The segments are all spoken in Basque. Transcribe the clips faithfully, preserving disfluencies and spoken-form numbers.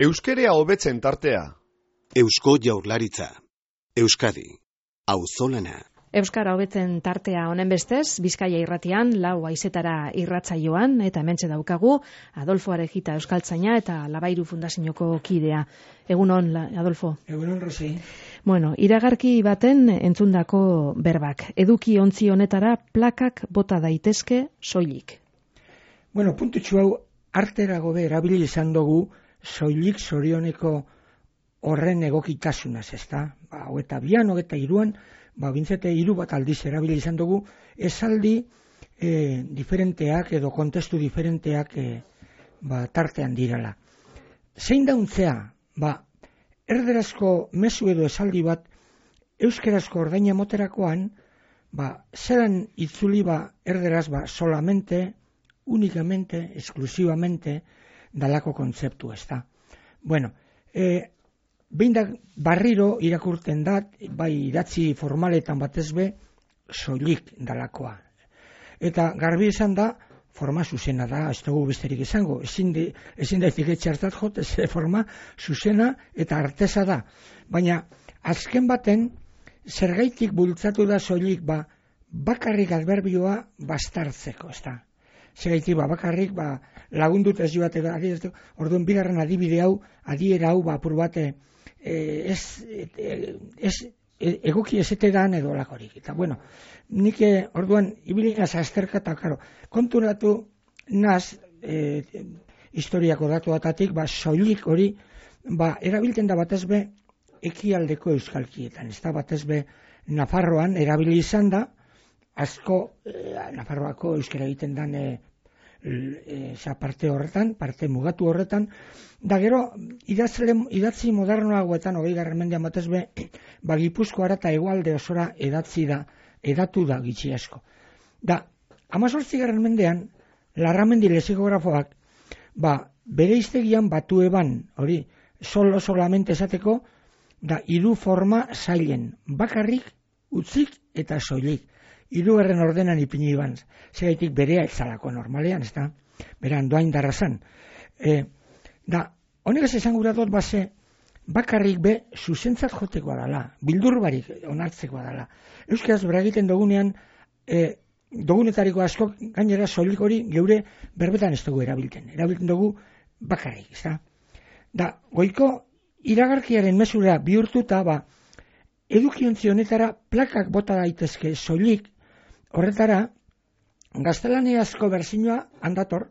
Euskerea hobetzen tartea. Eusko Jaurlaritza. Euskadi. Auzolana. Euskara hobetzen tartea honen bestez, Bizkaia irratian, lau haizetara irratsaioan, eta hementxe daukagu, Adolfo Arejita euskaltzaina eta Labairu Fundazioko kidea. Egunon, Adolfo? Egunon, Rosi. Bueno, iragarki baten entzundako berbak. Eduki ontzi honetara plakak bota daitezke soilik. Bueno, puntutxu hau arterago be erabili izan dugu soilik zorioneko horren egokitasunaz, ezta? Ba, hogeta bian, hogeta iruan, ba, bintzete hiru bat aldiz erabili izan dugu, esaldi e, diferenteak edo kontestu diferenteak e, ba, tartean dirala. Zein dauntzea, ba, erderazko mezu edo esaldi bat euskerazko ordaina moterakoan, ba, zeran itzuli ba, erderaz ba, solamente, únicamente, exclusivamente, dalako kontzeptu, ez da. Bueno, e, behin da barriro irakurten dat, bai idatzi formaletan batez be, soilik dalakoa. Eta garbi esan da, forma zuzena da, ez dugu besterik izango, ezin, de, ezin da etiketxartat jot, ez forma zuzena eta artesa da. Baina, azken baten, zergaitik bultzatu da soilik, ba, bakarrik adverbioa bastartzeko, ez da. Zergaitik, ba, bakarrik, ba, lagundut ez joate, orduan bigarren adibide hau, adiera hau, ba, apur bate, Eh, ez, eh, ez egoki ezetedan edo lakorik. Eta bueno, nik orduan ibilinaz azterka eta karo, konturatu naz eh, historiako datuatatik, ba, soilik hori ba, erabilten da batez be ekialdeko euskalkietan. Ez da batez be Nafarroan erabili izan da, asko eh, Nafarroako euskara egiten dan eh, E, parte horretan, parte mugatu horretan, da gero idatzle, idatzi modernoagoetan hogei garren mendean batez be, ba Gipuzkoara eta hegoalde osora edatzi da, edatu da gitxi asko. Da, hamazortzi garren mendean, Larramendi lexikografoak, ba, bere iztegian batu eban, hori, solo solamente esateko, da hiru forma zailen, bakarrik, utzik eta soilik. Hirugarren ordenan ipini iban, zegaitik berea etzalako normalean, ez da, beran doain darrazan. E, da, honek ez esan gura dut base, bakarrik be, zuzentzat jotekoa dala, bildur barik onartzekoa dala. Euskaraz bera egiten dugunean, e, dugunetariko asko, gainera soilik hori geure berbetan ez dugu erabilten. Erabilten dugu bakarrik, ez da. Da, goiko iragarkiaren mesura bihurtuta, ba, edukiontzi honetara plakak bota daitezke soilik, horretara, gaztelaniazko berzinoa handator,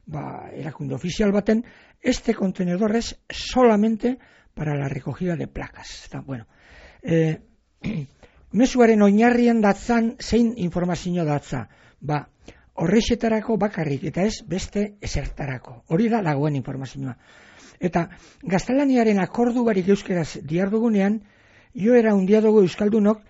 ba, erakunde ofizial baten, este contenedor es solamente para la recogida de placas. Eta, bueno, eh, mezuaren oinarrian datzan, zein informazio datza, ba, horrexetarako bakarrik, eta ez beste esertarako. Hori da dagoen informazioa. Eta gaztelaniaren akordu barik euskeraz diardugunean, jo era undia dugu euskaldunok,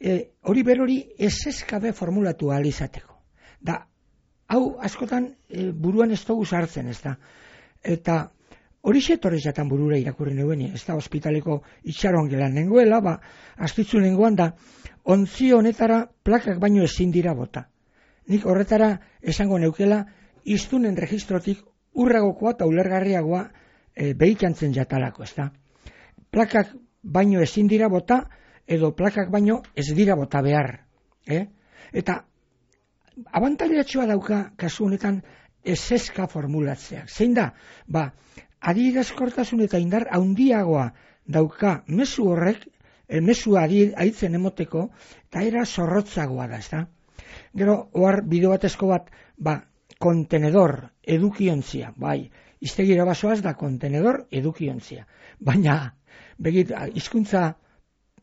E, hori berori ez eskabe formulatu ahal izateko. Da, hau askotan e, buruan ez dugu sartzen, ez da. Eta hori setorrez jatan burura irakurri neuen, ez da, ospitaleko itxaron gelan nengoela, ba, astitzu nengoan da, ontzi honetara plakak baino ezin dira bota. Nik horretara esango neukela, iztunen registrotik urragokoa eta ulergarriagoa e, behikantzen jatalako, ez da. Plakak baino ezin dira bota, edo plakak baino ez dira bota behar. Eh? Eta abantailatxoa dauka kasu honetan eseska formulatzeak. Zein da? Ba, adierazkortasun eta indar handiagoa dauka mezu horrek, e, mezua aitzen emoteko, eta era zorrotzagoa da, ez da? Gero, ohar bideo batezko bat, ba, kontenedor, edukiontzia, bai, iztegira basoaz da kontenedor, edukiontzia. Baina, begit, hizkuntza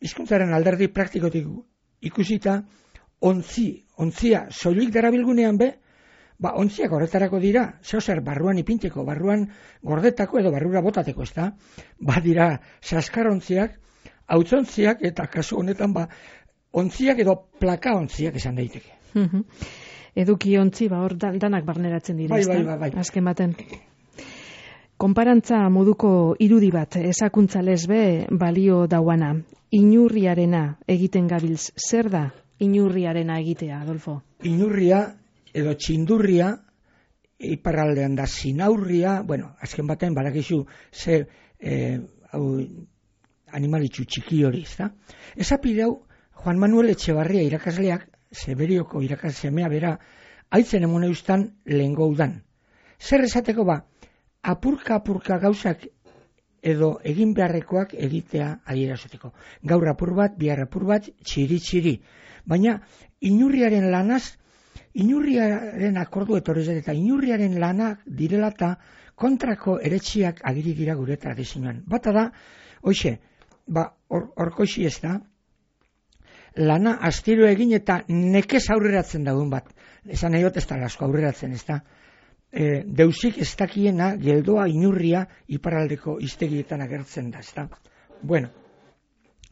hizkuntzaren alderdi praktikotik ikusita, ontzi, ontzia soilik darabilgunean be, ba, ontziak horretarako dira, zeozer barruan ipinteko, barruan gordetako edo barrura botateko, ez da? Ba, dira, saskarontziak, hautzontziak, eta kasu honetan, ba, ontziak edo plaka ontziak esan daiteke. Eduki ontzi, ba, hor danak barneratzen dira, bai, ez da? Bai, bai, bai. Azken baten. Konparantza moduko irudi bat, esakuntza lesbe balio dauana. Inurriarena egiten gabiltz, zer da inurriarena egitea, Adolfo? Inurria edo txindurria iparraldean da Zinaurria, bueno, azken baten badakizu ze eh, hau, animalitxu txiki hori, ezta? Esapide hau Juan Manuel Etxebarria irakasleak, Zeberioko irakaslemea bera, haitzen emune ustan lehengo udan. Zer esateko ba, apurka-apurka gauzak edo egin beharrekoak egitea adierazteko. Gaur apur bat, bihar apur bat, txiri-txiri. Baina, inurriaren lanaz, inurriaren akordu etorrez eta inurriaren lanak direla eta kontrako eretxiak agiri dira gure tradizioan. Bata da, hoxe, ba, orkoixi or, ez da, lana astiro egin eta nekez aurreratzen dagoen bat. Esan nahi ez da asko aurreratzen, ez da. E, deusik ez dakiena geldoa inurria iparraldeko iztegietan agertzen da, ez da. Bueno,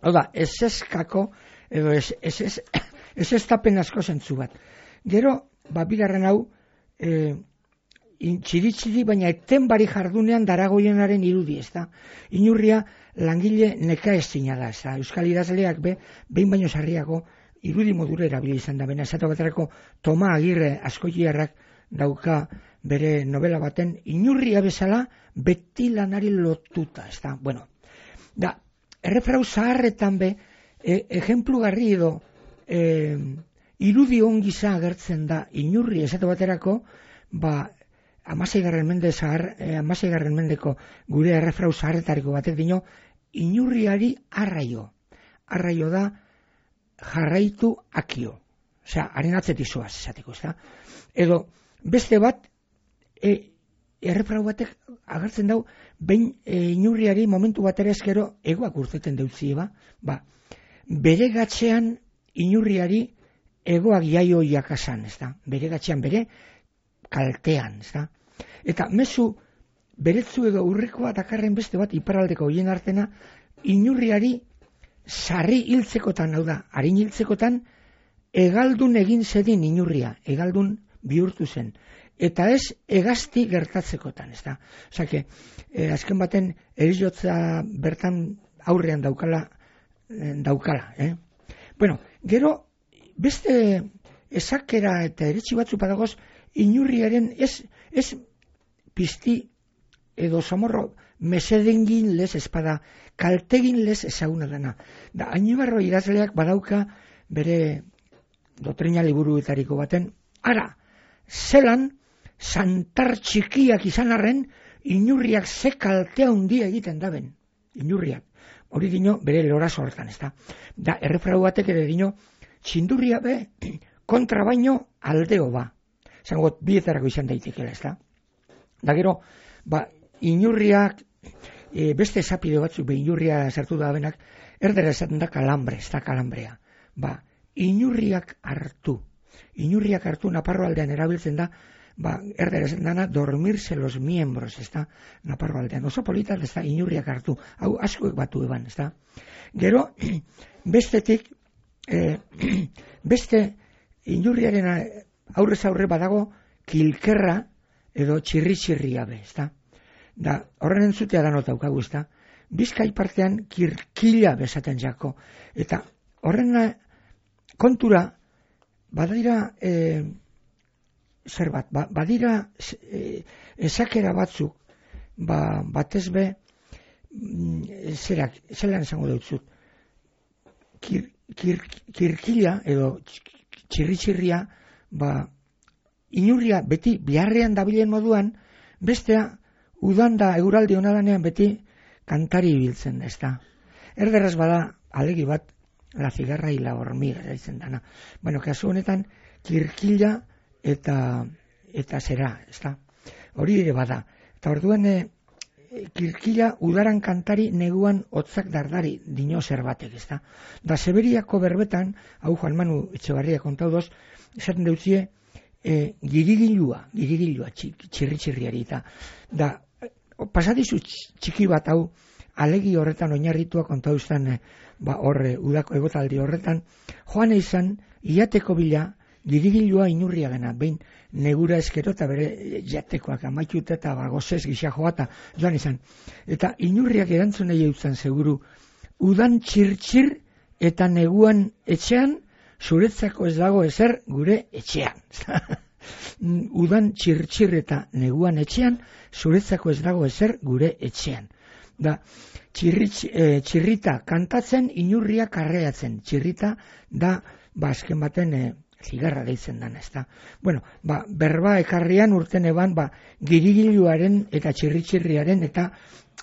hau da, ez ezkako, edo ez ez, ez, ez ez tapen asko zentzu bat. Gero, ba, bigarren hau, e, txiri-txiri, baina eten bari jardunean daragoienaren irudi, ez da. Inurria langile neka ez zina da, ez da. Euskal idazleak be, behin baino sarriago, irudi modura erabili izan da, bena esatu baterako Toma Agirre askoiarrak dauka bere novela baten inurria bezala beti lanari lotuta, ez da. Bueno, da, errefrau zaharretan be, e, ejemplugarri edo e, irudi ongiza agertzen da inurri esatu baterako, ba, amaseigarren mende zahar, e, amaseigarren mendeko gure errefrau zaharretariko batek dino, inurriari arraio. Arraio da jarraitu akio. Osea, haren atzetik zoaz, esateko, ez da. Edo, beste bat, e, errefrau batek agertzen dau, behin e, inurriari momentu batera eskero egoak urteten deutzi, ba, ba, bere gatzean inurriari egoak jaio jakasan, ez da. Bere gatzean, bere kaltean, ez da. Eta mezu, beretzu edo urrekoa dakarren beste bat iparraldeko hoien artena, inurriari sarri hiltzekotan, hau da, harin hiltzekotan, egaldun egin zedin inurria, egaldun bihurtu zen. Eta ez egazti gertatzekotan, ez da. Osa, que, eh, azken baten erizotza bertan aurrean daukala, eh, daukala, eh? Bueno, gero, beste esakera eta eretsi batzu padagoz, inurriaren ez, ez pizti edo zamorro mesedengin lez espada, kaltegin lez ezaguna dena. Da, Añibarro idazleak badauka bere dotrina liburuetariko baten, ara, zelan, santar txikiak izan arren, inurriak ze kaltea handia egiten daben. Inurriak. Hori dino bere lora sortan, ez da. Da, errefrau batek ere dino, txindurria be, kontra baino aldeo ba. Zangot, bietarako izan daitekela, ez da. Da gero, ba, inurriak, e, beste esapide batzuk, be inurria sartu da benak, erdera esaten da kalambre, ez da kalambrea. Ba, inurriak hartu. Inurriak hartu Naparro aldean erabiltzen da, ba, erdera esaten dana, dormirse los miembros, ez da, Naparro aldean. Oso polita, ez da, inurriak hartu. Hau, askoek batu eban, ez da. Gero, bestetik, e, beste inurriaren aurrez aurre badago, kilkerra edo txirri-txirria be, ez da. Da, horren entzutea da nota daukagu, ez da. Bizkai partean kirkila bezaten jako. Eta horren kontura, badira, e, zer bat, ba, badira e, esakera batzuk, ba, batez be, zerak, zelan esango dutzut, kir, kir, kirkila edo txirri-txirria, ba, inurria beti biharrean dabilen moduan, bestea udan da eguraldi honadanean beti kantari ibiltzen, ez da. Erderaz bada alegi bat la cigarra y la hormiga daitzen dana. Bueno, kasu honetan kirkila eta eta zera, ez da. Hori ere bada. Eta orduan e, kirkila udaran kantari neguan hotzak dardari dino zerbatek, ez da. Da Zeberiako berbetan, hau Juan Manu Etxebarria kontau doz, esaten deutzie, e, girigilua, girigilua txirri-txirriari eta da, pasadizu txiki bat hau alegi horretan oinarritua kontau izan, e, ba horre, udako egotaldi horretan, joan izan, iateko bila, girigilua inurria gana, behin negura eskero eta bere jatekoak amaitut eta bagozez gisa joata joan izan. Eta inurriak erantzun nahi eutzen seguru, udan txir-txir eta neguan etxean, zuretzako ez dago ezer gure etxean. Udan txir-txir eta neguan etxean, zuretzako ez dago ezer gure etxean. Da, txirri, e, txirrita kantatzen, inurria karreatzen. Txirrita da, ba, azken baten e, zigarra deitzen dan, ez da. Bueno, ba, berba ekarrian urten eban, ba, girigiluaren eta txirri-txirriaren eta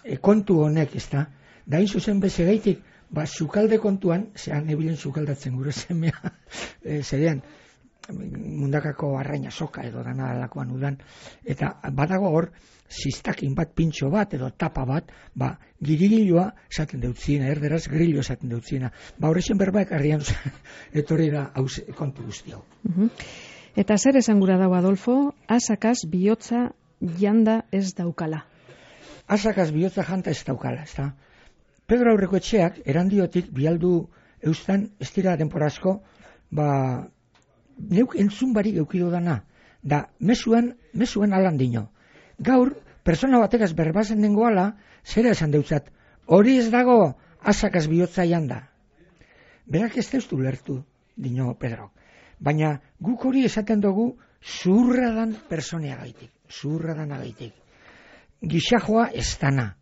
e, kontu honek, ez da. Da, hain zuzen bezegaitik, ba, sukalde kontuan, zean ebilen sukaldatzen gure zemea, e, zerean, mundakako arraina soka edo dana alakoan udan, eta badago hor, ziztakin bat, pintxo bat, edo tapa bat, ba, girigilua esaten deutziena, erderaz grillo esaten deutziena. Ba, horrexen berbaek arrian etorri da hauz, kontu guzti hau. Uh-huh. Eta zer esan gura dau, Adolfo, asakaz bihotza janda ez daukala? Asakaz bihotza janta ez daukala, ez da. Pedro aurreko etxeak, erandiotik, bialdu eustan, ez dira denporazko, ba, neuk entzun barik eukido dana, da, mesuan, mesuan alan dino. Gaur, persona batekaz berbazen dengoala, zera esan deutzat, hori ez dago asakaz bihotza janda. Berak ez deustu lertu, dino Pedro. Baina guk hori esaten dugu zurradan personeagaitik, zurradan agaitik. Gixajoa ez dana.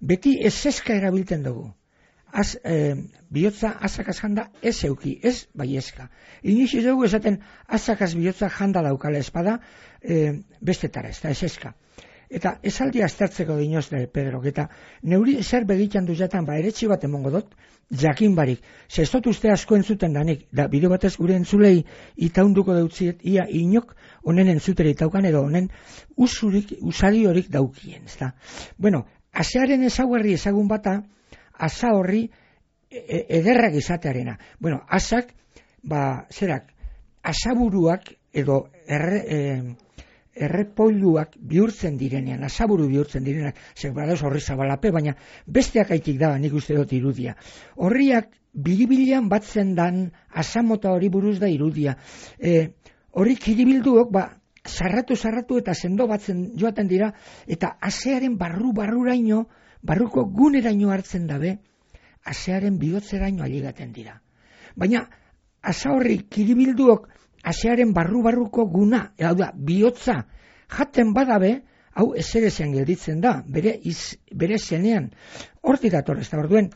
Beti ez eska erabiltzen dugu. Az, eh, bihotza asakaz janda ez euki, ez bai eska. Iniz ez dugu esaten asakaz bihotza janda daukala espada eh, bestetara, ez da, ez eska. Eta esaldi aztertzeko dinoz da, Pedro, eta neuri zer begitan duzatan, ba, eretxi bat emongo dut, jakin barik. Ze ez dut uste asko entzuten danik, da bideo batez gure entzulei itaunduko deutziet, ia inok honen entzuteri itaukan edo honen usurik, usari horik daukien, ez da. Bueno, asearen ezaguarri ezagun bata, asa horri e- ederrak izatearena. Bueno, asak, ba, zerak, asaburuak edo erre, e, errepoiluak bihurtzen direnean, asaburu bihurtzen direnean, zer badauz horri zabalape, baina besteak aitik da, nik uste dut irudia. Horriak biribilian batzen dan asamota hori buruz da irudia. E, horri kiribilduok, ba, sarratu, sarratu eta sendo batzen joaten dira, eta asearen barru-barruraino, barruko guneraino hartzen dabe, asearen bihotzeraino aligaten dira. Baina, asa horri kiribilduok asearen barru-barruko guna, hau da, bihotza jaten badabe, hau ezerezean gelditzen da, bere, iz, bere zenean. Horti dator, ez da, orduen,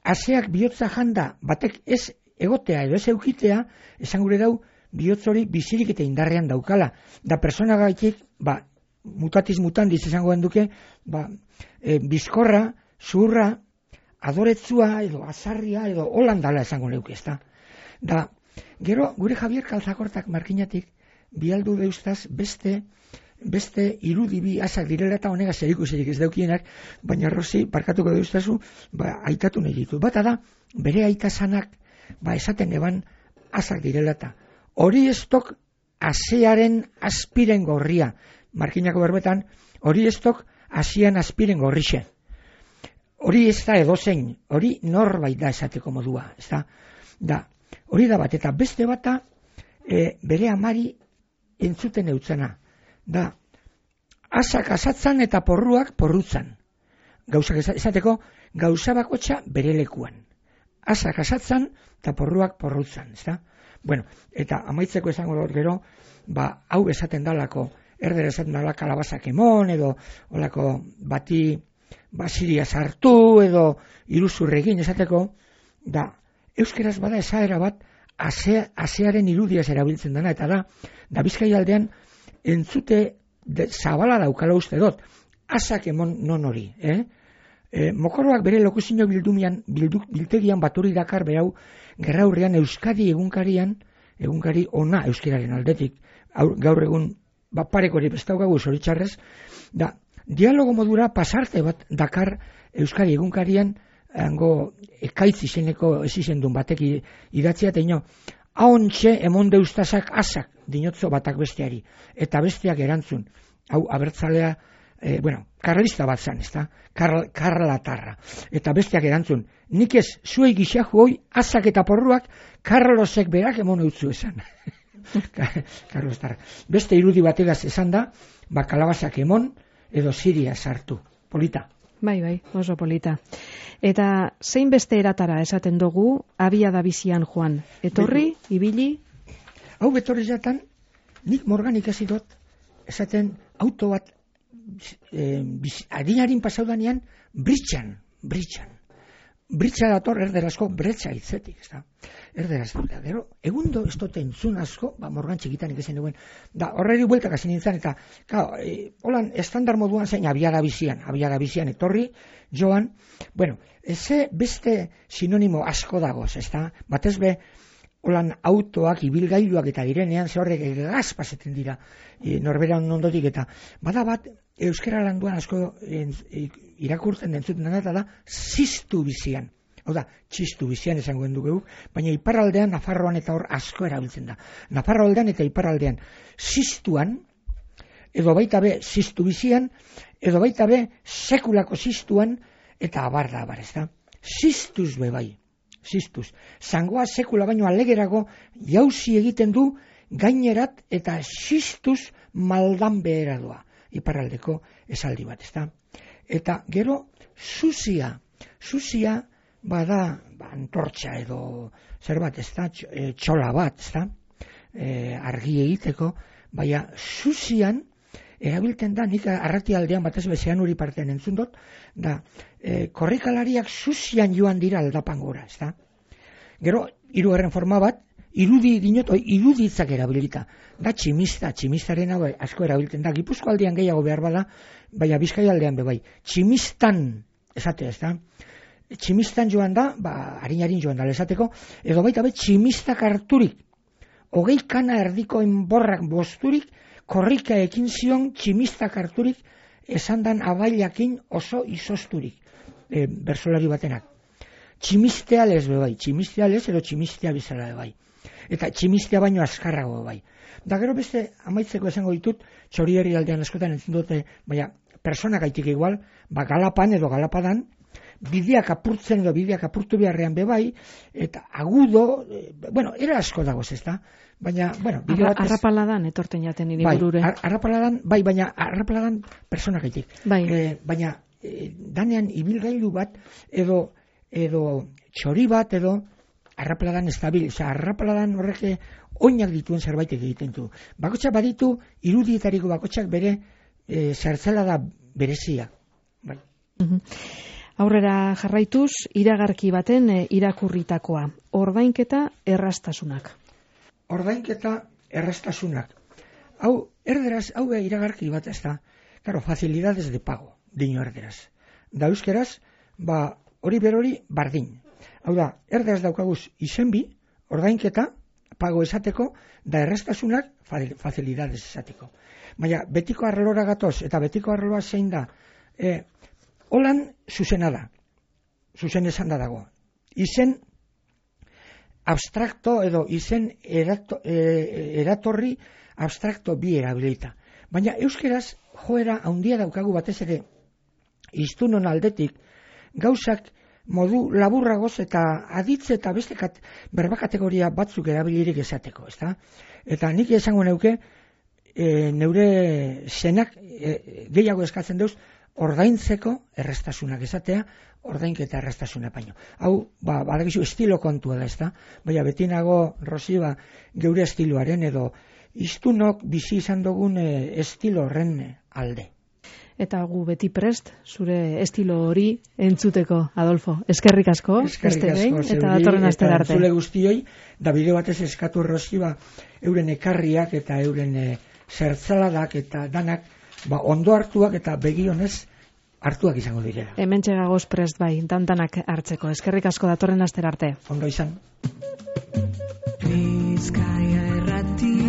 aseak bihotza janda, batek ez egotea edo ez eukitea, esan gure dau, bihotz hori bizirik eta indarrean daukala. Da persona gaitik, ba, mutatiz mutandiz izango duke, ba, e, bizkorra, zurra, adoretzua edo azarria edo holandala esango leuke, ez da. Da, gero, gure Javier Kalzakortak markinatik, bialdu deustaz beste, beste irudibi asak direla eta honega zerikusirik ez daukienak, baina Rosi, barkatuko deustazu, ba, aitatu nahi ditu. Bata da, bere aitasanak, ba, esaten eban asak direla eta. Hori ez tok asearen aspiren gorria, markinako berbetan, hori ez tok asian aspiren gorrixe. Hori ez da edozein, hori norbait da esateko modua, ez da. Da, hori da bat, eta beste bata e, bere amari entzuten eutzena. Da, asak asatzan eta porruak porrutzan. Gauzak esateko, gauza bakotxa bere lekuan. Asak asatzan eta porruak porrutzan, ez da. Bueno, eta amaitzeko esango dut gero, ba, hau esaten dalako, erder esaten dala kalabazak emon, edo olako bati basiria sartu, edo iruzurregin esateko, da, euskeraz bada esaera bat, ase, asearen irudiaz erabiltzen dena, eta da, da Bizkai aldean entzute de, zabala daukala uste dut, asak emon non hori, eh? E, mokoroak bere lokuzino bildumian, bildu, biltegian baturi dakar berau, gerraurrean Euskadi egunkarian, egunkari ona euskeraren aldetik, gaur egun bapareko hori bestaukagu zoritxarrez, da, dialogo modura pasarte bat dakar Euskadi egunkarian, hango ekaitz izeneko ez izendun batek idatzia, eta ino, ahontxe emon deustazak asak dinotzo batak besteari, eta besteak erantzun, hau abertzalea, E, bueno, karlista bat zan, ez da? Karl, karlatarra. Eta besteak erantzun, nik ez, zuei gixaju hoi, azak eta porruak, Karlosek berak emon eutzu esan. Karlostarra. Beste irudi bategaz esan da, ba, kalabazak emon, edo Siria sartu. Polita. Bai, bai, oso polita. Eta zein beste eratara esaten dugu, abia da bizian joan. Etorri, ibili? Hau betorri jatan, nik morgan ikasi dut, esaten auto bat e, adinarin pasaudanean britxan, britxan. Britxa dator erderazko bretxa hitzetik, ez da. Erderaz dut, gero, egundo ez dut entzun asko, ba, morgan txikitan ikezen duen, da, horreri bueltak hasi nintzen, eta, claro, e, holan, estandar moduan zein, abiada bizian, abiada bizian etorri, joan, bueno, eze beste sinonimo asko dagoz, ez da, batez be, holan autoak, ibilgailuak eta direnean, ze horrek egaz paseten dira, e, norberan ondotik, eta, bada bat, euskara landuan asko en, e, irakurtzen dentzuten dena, eta da, ziztu bizian. Hau da, txistu bizian esango dugu, baina iparraldean, Nafarroan eta hor asko erabiltzen da. Nafarroaldean eta iparraldean ziztuan, edo baita be ziztu bizian, edo baita be sekulako ziztuan, eta abar da abar, ez da. Ziztuz be bai, ziztuz. Zangoa sekula baino alegerago jauzi egiten du gainerat eta ziztuz maldan behera doa. Iparraldeko esaldi bat, ez da. Eta gero, zuzia, zuzia bada ba, antortxa edo zer bat, ez da, txola bat, ez da, e, argi egiteko, baina zuzian erabiltzen da, nik arratialdean batez bezean uri partean entzun dut, da, e, korrikalariak zuzian joan dira aldapan gora, ez da. Gero, hirugarren forma bat, irudi dinot, oi, iruditzak erabilita. Da tximista, tximistaren hau asko erabiltzen da. Gipuzko aldean gehiago behar bada, baina Bizkaia aldean be bai. Tximistan, esate ez da. Tximistan joan da, ba, harin-harin joan da, esateko, edo baita be tximistak harturik. Hogei kana erdiko enborrak bosturik, korrika ekin zion tximistak harturik, esan dan abailakin oso izosturik. E, bersolari batenak. Tximistea lez be bai, tximistea lez edo tximistea bizala be bai. Eta tximistea baino azkarrago bai. Da gero beste amaitzeko esango ditut, Txorieri aldean askotan entzun dute, baina persona gaitik igual, ba Galapan edo Galapadan, bideak apurtzen edo bideak apurtu beharrean be bai, eta agudo, e, bueno, era asko dagoz, ez da? Baina, bueno, bide Arra, batez... Arrapaladan etorten jaten niri bai, burure. ar, arrapaladan, bai, baina arrapaladan persona gaitik. Bai. E, baina, e, danean ibilgailu bat, edo, edo txori bat, edo arrapaladan estabil, oza, arrapaladan horreke oinak dituen zerbait egiten du. Bakotxak baditu, irudietariko bakotxak bere e, zertzela da berezia. Bai. Mhm. Aurrera jarraituz, iragarki baten e, irakurritakoa. Ordainketa errastasunak. Ordainketa errastasunak. Hau, erderaz, hau iragarki bat ez da. Claro, facilidades de pago, dino erderaz. Da euskeraz, ba, hori berori bardin. Hau da, erderaz daukaguz izenbi, ordainketa, pago esateko, da errastasunak, facilidades esateko. Baina, betiko arrelora gatoz, eta betiko arreloa zein da, e, holan zuzena da, zuzen esan da dago. Izen abstrakto edo izen erato, e, eratorri abstrakto bi erabilita. Baina euskeraz joera handia daukagu batez ere hiztunon aldetik gauzak modu laburragoz eta aditze eta beste kat, berba kategoria batzuk erabilirik esateko, ezta? Eta nik esango neuke e, neure zenak e, gehiago eskatzen deuz ordaintzeko errestasunak esatea, ordainketa errestasuna baino. Hau, ba, badakizu estilo kontua da, ezta? Baina beti nago, Rosi, ba, geure estiloaren edo hiztunok bizi izan dugun e, estilo horren alde. Eta gu beti prest, zure estilo hori entzuteko, Adolfo. Eskerrik asko, Eskerrik beste behin, asko, eta datorren astera arte. Zule guztioi, da bide batez eskatu Rosi, ba, euren ekarriak eta euren e, zertzaladak eta danak, ba, ondo hartuak eta begionez hartuak izango direla. Hemen txegagoz prest bai, dantanak hartzeko. Eskerrik asko, datorren astera arte. Ondo izan. Bizkaia erratia